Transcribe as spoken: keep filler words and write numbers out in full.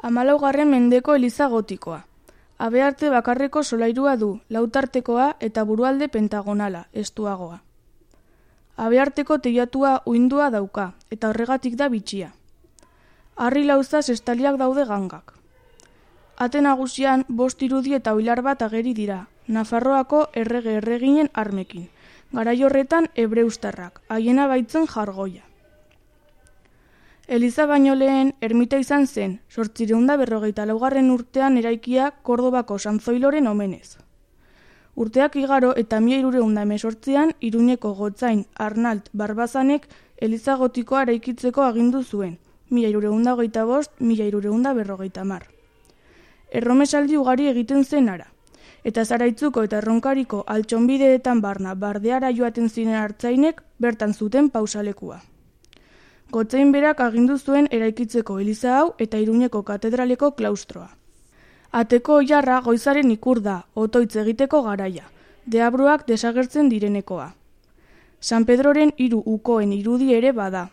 Hamalaugarren mendeko eliza gotikoa. Habearte bakarreko solairua du, lautartekoa eta burualde pentagonala, estuagoa. Habearteko teilatua uindua dauka, eta horregatik da bitxia. Harri lauzaz estaliak daude gangak. Ate nagusian bost irudi eta oilar bat ageri dira, Nafarroako errege erreginen armekin, garai horretan hebreustarrak, haiena baitzen jargoia. Eliza baino lehen ermita izan zen, zortziehun eta berrogeita laugarren urtean eraikia Kordobako San Zoiloren omenez. Urteak igaro eta mila hirurehun eta hemezortzian Iruñeko gotzain Arnalt Barbazanek eliza gotikoa eraikitzeko agindu zuen, mila hirurehun eta hogeita bost, mila hirurehun eta berrogeita hamar. Erromesaldi ugari egiten zen ara, eta Zaraitzuko eta Erronkariko altxonbideetan barna bardeara joaten ziren artzainek bertan zuten pausalekua. Gotzain berak agindu zuen eraikitzeko eliza hau eta Iruñeko katedraleko klaustroa. Ateko oilarra goizaren ikur da, otoitz egiteko garaia, deabruak desagertzen direnekoa. San Pedroren hiru ukoen irudi ere bada.